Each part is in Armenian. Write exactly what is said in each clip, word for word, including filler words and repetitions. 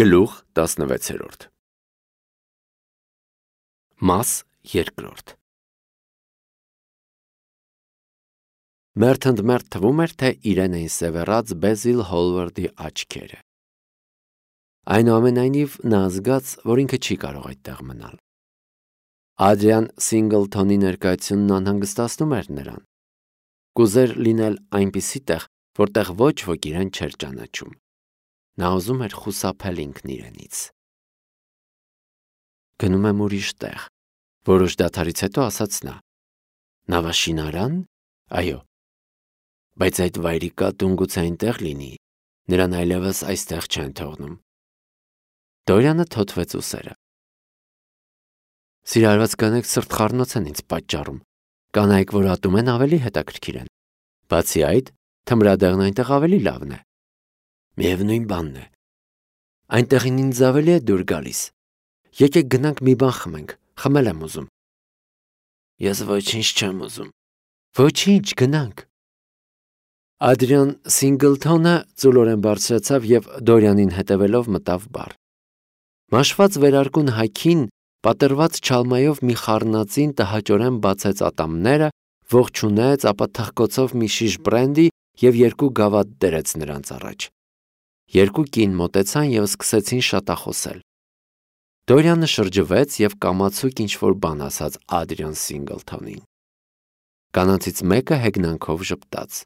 Գլուխ տասնվեցերորդ Մաս երկրորդ Մերթ ընդ մերթ թվում էր, թե իրեն էին սևեռած Բեզիլ Հոլվարդի աչքերը։ Այնուամենայնիվ նա զգաց, որ ինքը չի կարող այդտեղ մնալ։ Ադրիան Սինգլթոնի ներկայությունն անհանգստացնում էր նրան։ Կուզեր լինել այնպիսի տեղ, որտեղ ոչ ոք իրեն չէր ճանաչում։ Նա ուզում էր խուսափել ինքն իրենից։ Գնում եմ ուրիշ տեղ, որոշ դադարից հետո ասաց նա։ Նավաշինարան, այո, բայց այդ վայրի կատուն գուցե այնտեղ լինի, նրան այլևս այստեղ չեն թողնում։ Դորյանը թոթվեց ուսերը։ Սիրահարված կանայք սրտխառնոց են ինձ պատճառում, կանայք, որ ատում են, ավելի հետաքրքիր են։ Բացի այդ, թմրադեղն այնտեղ ավելի լավն է։ Միևնույն բանն է։ Այնտեղին ինձ ավելի է դուր գալիս։ Եկեք գնանք մի բան խմենք, խմել եմ ուզում։ Ես ոչինչ չեմ ուզում։ Ոչինչ, գնանք։ Ադրիան Սինգլթոնը ծուլորեն բարձրացավ և Դորյանին հետևելով մտավ բար։ Մաշված վերարկուն հագին, պատրված չալմայով մի խառնածին տհաճորեն բացեց ատամները, ողջունեց, ապա թխկոցով մի շիշ բրենդի և երկու գավաթ դրեց նրանց առաջ։ Երկու կին մոտեցան և սկսեցին շատախոսել։ Դորյանը շրջվեց և կամացուկ ինչ-որ բան ասաց Ադրիան Սինգլթոնին։ Կանանցից մեկը հեգնանքով ժպտաց։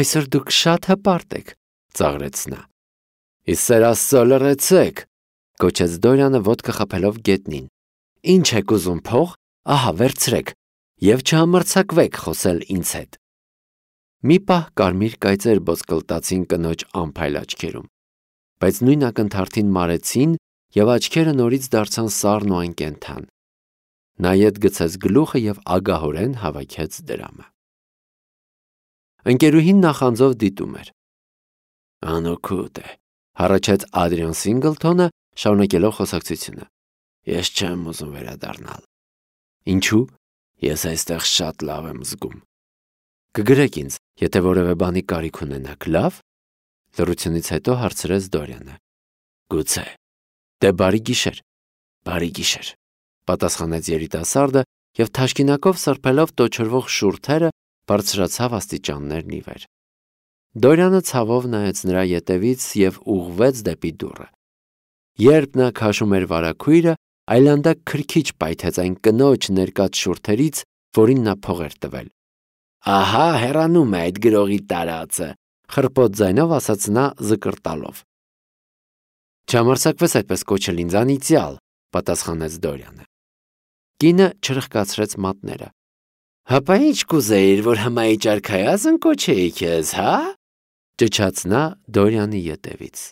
Այսօր դուք շատ հպարտ եք, ծաղրեց նա։ Ի սեր Աստծո, լռեցեք, գոչեց Դորյանը ոտքը խփելով գետնին։ Ինչ եք ուզում, փող, ահա վերցրեք, և չհամարձակվեք խոսել ինձ հետ։ Մի պահ կարմիր կայծեր ոսկլտացին կնոջ անփայլ աչքերում, բայց նույն ակնթարթին մարեցին և աչքերը նորից դարձան սառն ու անկենդան։ Նա ետ գցեց գլուխը և ագահորեն հավաքեց դրամը։ Ընկերուհին նախանձով դիտում էր։ Անօգուտ է, հառաչեց Ադրիան Սինգլթոնը, շարունակելով խոսակցությունը։ Ես չեմ ուզում վերադառնալ։ Ինչու՞։ Ես այստեղ շատ լավ եմ զգում։ Կգրեք ինձ, եթե որևէ բանի կարիք ունենաք, լավ։ Լռությունից հետո հարցրեց Դորյանը։ Գուցե։ Դե բարի գիշեր։ Բարի գիշեր, պատասխանեց երիտասարդը և թաշկինակով սրբելով տոչորվող շուրթերը բարձրացավ աստիճաններն ի վեր։ Դորյանը ցավով նայեց նրա ետևից և ուղղվեց դեպի դուռը։ Երբ նա քաշում էր վարագույրը, այլանդակ քրքիջ պայթեց այն կնոջ ներկած շուրթերից, որին նա փող էր տվել։ Ահա հեռանում է այդ գրողի տարածը, խռպոտ ձայնով ասաց նա զկրտալով։ Չհամարձակվես այդպես կոչել ինձ, անիծյալ, պատասխանեց Դորյանը։ Կինը չրխկացրեց մատները։ Հապա ինչ կուզեիր, որ հմայիչ արքայազն կոչեի քեզ, հա։ Ճչաց նա Դորյանի ետևից։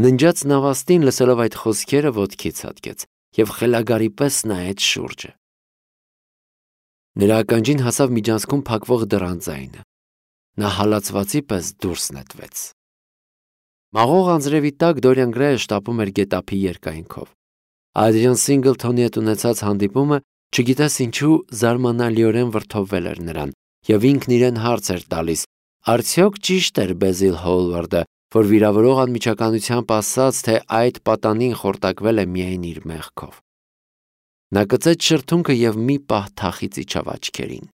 Ննջած նավաստին լսելով այդ խոսքերը ոտքի ցատկեց և խելագարի պես նայեց շուրջը։ Նրա ականջին հասավ միջանցքում փակվող դռան ձայնը։ Նա հալածվածի պես դուրս նետվեց։ Մաղող անձրևի տակ Դորյան Գրեյը շտապում էր գետափի երկայնքով։ Ադրիան Սինգլթոնի հետ ունեցած հանդիպումը, չգիտես ինչու, զարմանալիորեն վրդովվել էր նրան, և ինքն իրեն հարց էր տալիս. արդյոք ճիշտ էր Բեզիլ Հոլվարդը, որ վիրավորող անմիջականությամբ ասաց, թե այդ պատանին խորտակվել է միայն իր մեղքով։ Նա կծեց շրթունքը և մի պահ թախից իջավ աչքերին։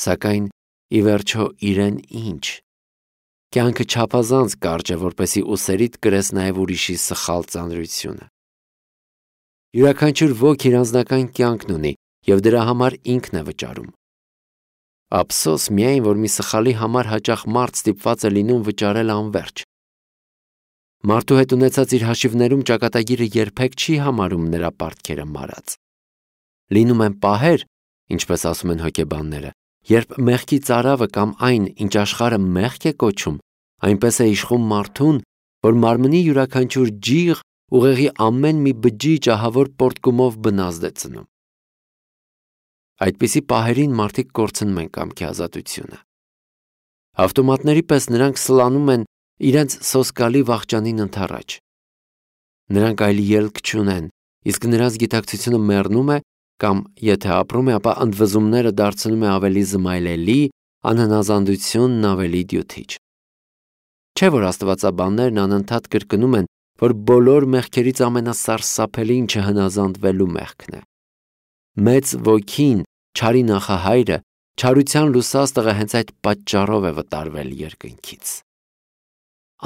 Սակայն ի վերջո իրեն ինչ։ Կյանքը չափազանց կարճ է, որպեսզի ուսերիդ կրես նաև ուրիշի սխալ ծանրությունը։ Յուրաքանչյուր ոք իր անձնական կյանքն ունի, և դրա համար ինքն է վճարում։ Ափսոս միայն, որ մի սխալի համար հաճախ մարդ ստիպված է լինում վճարել անվերջ։ Մարդու հետ ունեցած իր հաշիվներում ճակատագիրը երբեք չի համարում նրա պարտքերը մարած։ Լինում են պահեր, ինչպես ասում են հոգեբանները, երբ մեղքի ծարավը կամ այն, ինչ աշխարհը մեղք է կոչում, այնպես է իշխում մարդուն, որ մարմնի յուրաքանչյուր ջիղ ուղեղի ամեն մի բջիջ ահավոր պոռթկումով բնազդ է ծնում։ Այդպիսի պահերին մարդիկ կորցնում են կամքի ազատությունը։ Ավտոմատների պես նրանք սլանում են իրենց սոսկալի վախճանին ընդառաջ։ Նրանք այլ ելք չունեն, իսկ նրանց գիտակցությունը մեռնում է կամ, եթե ապրում է, ապա ընդվզումները դարձնում է ավելի զմայլելի, անհնազանդությունն ավելի դյութիչ։ Չէ՞ որ աստվածաբաններն անընդհատ կրկնում են, որ բոլոր մեղքերից ամենասարսափելին չհնազանդվելու մեղքն է։ Մեծ ոգին, չարի նախահայրը, չարության լուսաստղը հենց այդ պատճառով է վտարվել երկնքից։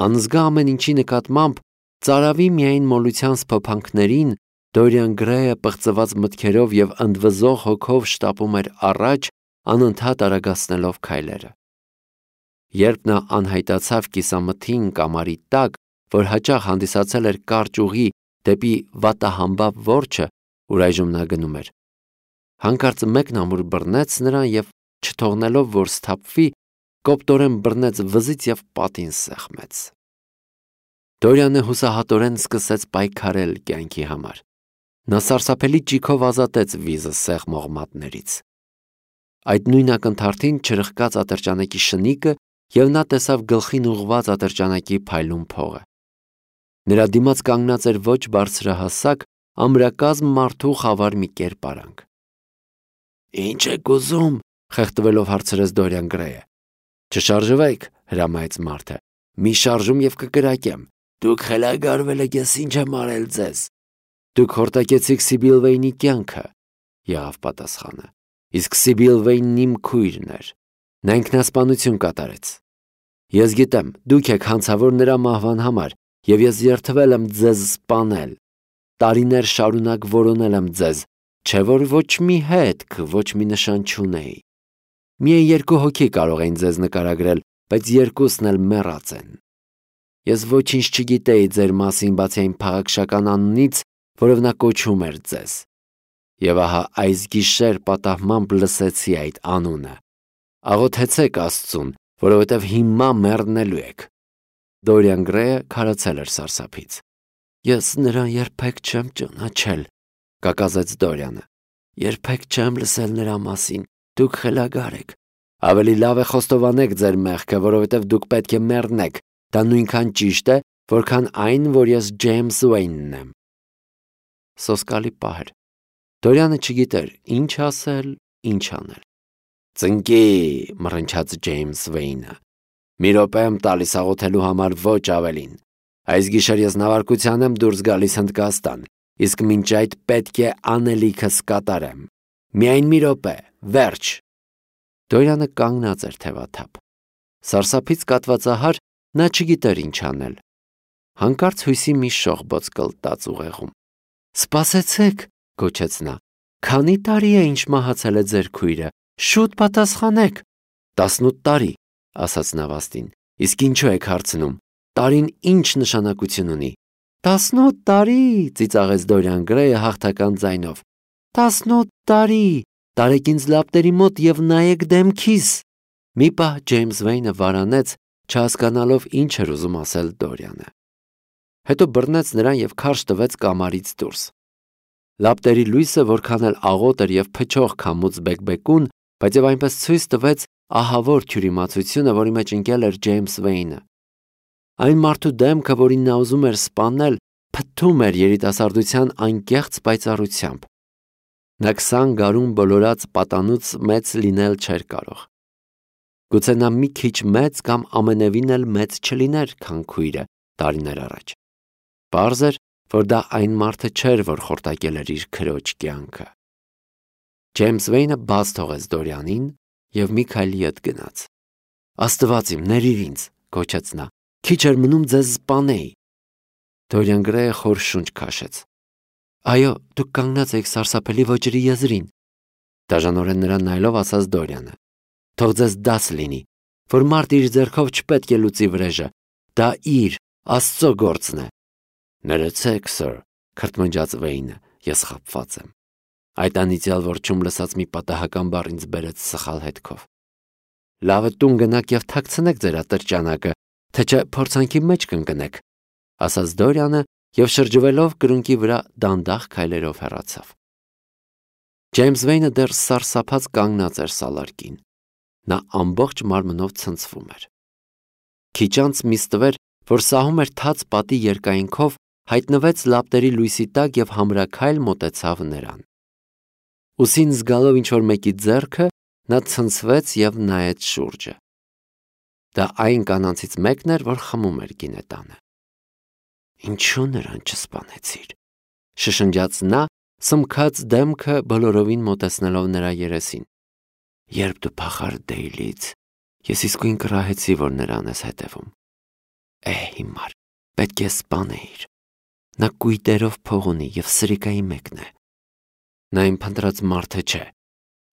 Անզգա ամեն ինչի նկատմամբ ծարավի միայն մոլության սփոփանքներին Դորիան Գրեյը պղծված մտքերով և ընդվզող հոգով շտապում էր առաջ, անընդհատ արագացնելով քայլերը։ Երբ նա անհայտացավ կիսամթին կամարի տակ, որ հաճախ հանդիսացել էր կարճ ուղի դեպի վատահամբավ որջը, ուր այժմ նա գնում էր, հանկարծ մեկն ամուր բռնեց նրան և, չթողնելով, որ սթափվի, կոպտորեն բռնեց վզից և պատին սեղմեց։ Դորիանը հուսահատորեն սկսեց պայքարել կյանքի համար։ Նա սարսափելի ճիգով ազատեց վիզը սեղմող մատներից։ Այդ նույն ակնթարթին չրխկաց ատրճանակի շնիկը և նա տեսավ գլխին ուղղված ատրճանակի փայլուն փողը։ Նրա դիմաց կանգնած էր ոչ բարձրահասակ, ամրակազմ մարդու խավար մի կերպարանք։ «Ի՞նչ եք ուզում», խեղդվելով հարցրեց Դորիան Գրեյը։ «Չշարժվեք», հրամայեց մարդը։ «Մի շարժում և կկրակեմ։ Դուք խելագարվել եք, ես ինչ եմ արել ձեզ»։ «Դուք հորդակեցիք Սիբիլ Վեյնի կյանքը», եղավ պատասխանը։ «Իսկ Սիբիլ Վեյնն իմ քույրն էր։ Նա ինքնասպանություն կատարեց։ Ես գիտեմ, դուք եք հանցավոր նրա մահվան համար, և ես երդվել եմ ձեզ սպանել։ Տարիներ շարունակ որոնել եմ ձեզ, չէ՞ որ ոչ մի հետք, ոչ մի նշան չունեի։ Միայն երկու հոգի կարող էին ձեզ նկարագրել, բայց երկուսն էլ մեռած են։ Ես ոչինչ չգիտեի ձեր մասին, բացի այն փաղաքշական անունից, որով նա կոչում էր ձեզ։ Եվ ահա այս գիշեր պատահմամբ լսեցի այդ անունը։ Աղոթեցեք Աստծուն, որովհետև հիմա մեռնելու եք»։ Դորիան Գրեյը քարացել էր սարսափից։ «Ես նրան երբեք չեմ ճանաչել», կակազեց Դորիանը։ «Երբեք չեմ լսել նրա մասին։ Դուք խելագար եք։ Ավելի լավ է խոստովանեք ձեր մեղքը, որովհետև դուք պետք է մեռնեք։ Դա նույնքան ճիշտ է, որքան այն, որ ես Ջեյմս Ուեյնն եմ»։ Սոսկալի պահ էր։ Դորիանը չգիտեր ինչ ասել, ինչ անել։ «Ծնկի», մռնչաց Ջեյմս Վեյնը։ «Մի րոպե եմ տալիս աղոթելու համար, ոչ ավելին։ Այս գիշեր ես նավարկության եմ դուրս գալիս Հնդկաստան, իսկ մինչ այդ պետք է անելիքս կատարեմ։ Միայն մի րոպե, վերջ»։ Դորիանը կանգնած էր թևաթափ։ Սարսափից կատվածահար նա չգիտեր ինչ անել։ Հանկարծ հույսի մի շողբոց կլտաց ուղեղում։ «Սպասեցեք», գոչեց նա։ «Քանի տարի է ինչ մահացել է ձեր քույրը։ Շուտ պատասխանեք»։ «Տասնութ տարի», ասաց նավաստին։ «Իսկ ինչու եք հարցնում։ Տարին ինչ նշանակություն ունի»։ «Տասնութ տարի», ծիծաղեց Դորիան Գրեյը հաղթական ձայնով։ «Տասնութ տարի։ Տարեք ինձ լապտերի մոտ և նայեք դեմքիս»։ Մի պահ Ջեյմս Վեյնը վարանեց, չհասկանալով ինչ էր ուզում ասել Դորիանը։ Հետո բռնեց նրան և քարշ տվեց կամարից դուրս։ Լապտերի լույսը որքան էլ աղոտ էր և փչող քամուց բեկբեկուն, բայց և այնպես ցույց տվեց ահավոր թյուրիմացությունը, որի մեջ ընկել էր Ջեյմս Վեյնը։ Այն մարդու դեմքը, որին նա ուզում էր սպանել, փթթում էր երիտասարդության անկեղծ պայծառությամբ։ Նա քսան գարուն բոլորած պատանուց մեծ լինել չէր կարող։ Գուցե նա մի քիչ մեծ կամ ամենևին էլ մեծ չլիներ, քան քույրը տարիներ առաջ։ Պարզ էր, որ դա այն մարդը չէր, որ խորտակել էր իր քրոջ կյանքը։ Ջեյմս Վեյնը բաց թողեց Դորիանին և մի քայլ ետ գնաց։ «Աստված իմ, ների՛ր ինձ», գոչեց նա։ «Քիչ էր մնում ձեզ սպանեի»։ Դորիան Գրեյը խոր շունչ քաշեց։ «Այո, դուք կանգնած էիք սարսափելի ոճերի եզրին», դաժանորեն նրան նայելով ասաց Դորիանը։ «Թող ձեզ դաս լինի, որ մարդ իր ձեռքով չպետք է լուծի վրեժը։ Դա իր, Աստծո գործն է»։ «Ներեցեք, սըր», քրթմնջաց Վեյնը, «ես խաբված եմ»։ Այդ անիծյալ որջում լսած մի պատահական բառ ինձ բերեց սխալ հետքով։ «Լավ է տուն գնաք և թաքցնեք ձեր ատրճանակը, թե չէ փորձանքի մեջ կընկնեք», ասաց Դորիանը և շրջվելով կրունկի վրա դանդաղ քայլերով հեռացավ։ Ջեյմս Վեյնը դեռ սարսափած կանգնած էր սալարկին։ Նա ամբողջ մարմնով ցնցվում էր։ Քիչ անց մի ստվեր, որ սահում էր թաց պատի երկայնքով, հայտնվեց լապտերի լույսի տակ և համրաքայլ մոտեցավ նրան։ Ուսին զգալով ինչ-որ մեկի ձեռքը, նա ցնցվեց և նայեց շուրջը։ Դա այն կանանցից մեկն էր, որ խմում էր գինետանը։ Ինչու նրան չսպանեցիր, շշնջաց նա, սմքած դեմքը բոլորովին մոտեցնելով նրա երեսին։ Երբ դու փախար Դեյլից, ես իսկույն կռահեցի, որ նրան ես հետևում։ Է հիմար, պետք է սպանեիր։ Նա կույտերով փող ունի և սրիկայի մեկն է։ Նա իմ փնտրած մարդը չէ,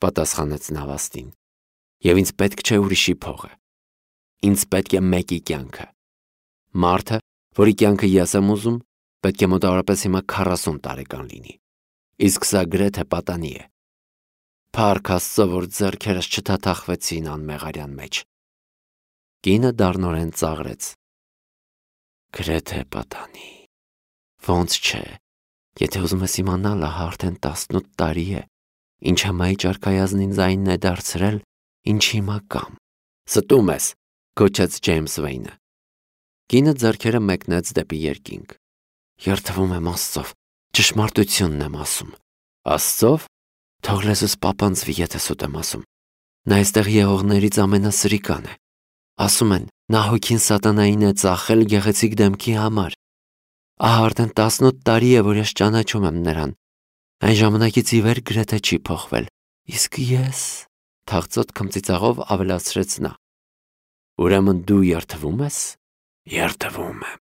պատասխանեց Նավաստին, և ինձ պետք չէ ուրիշի փողը։ Ինձ պետք է մեկի կյանքը։ Մարդը, որի կյանքը ես եմ ուզում, պետք է մոտավորապես հիմա քառասուն տարեկան լինի, իսկ սա գրեթե պատանի է։ Փառք Աստծո, որ ձեռքերս չթաթախվեցին անմեղարյան մեջ։ Կինը դառնորեն ծաղրեց։ Գրեթե պատանի։ Ոնց չէ, եթե ուզում ես իմանալ, ահա արդեն տասնութ տարի է, ինչ համայի ճարքայազնին ձայնն է դարձրել, ինչ հիմա կամ։ Ստում ես, գոչեց Ջեյմս Վեյնը։ Կինը ձեռքերը մեկնեց դեպի երկինք։ Երդվում եմ Աստծով, ճշմարտությունն եմ ասում։ Աստծով, թող լեզուս պապանձվի, եթե սուտ եմ ասում։ Նա այստեղ եղողներից ամենասրիկան է։ Ասում են, նա հոգին սատանային է ծախել գեղեցիկ դեմքի համար։ Ահա արդեն տասնութ տարի է, որ ես ճանաչում եմ նրան։ Այն ժամանակից ի վեր գրեթե չի փոխվել։ Իսկ ես, թախծոտ քմծիծաղով ավելացրեց նա։ Ուրեմն դու երդվում ես։ Երդվում եմ։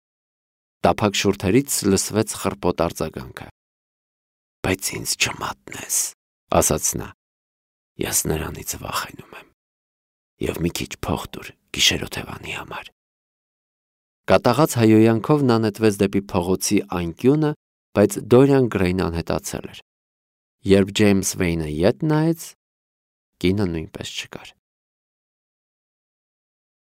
Տափակ շուրթերից լսվեց խռպոտ արձագանքը։ Բայց ինձ չմատնես, ասաց նա։ Ես նրանից վախենում եմ։ Եվ մի քիչ փող տուր գիշերօթևանի համար։ Կատաղած հայոյանքով նա նետվեց դեպի փողոցի անկյունը, բայց Դորիան Գրեյն անհետացել էր։ Երբ Ջեյմս Վեյնը ետ նայեց, կինը նույնպես չկար։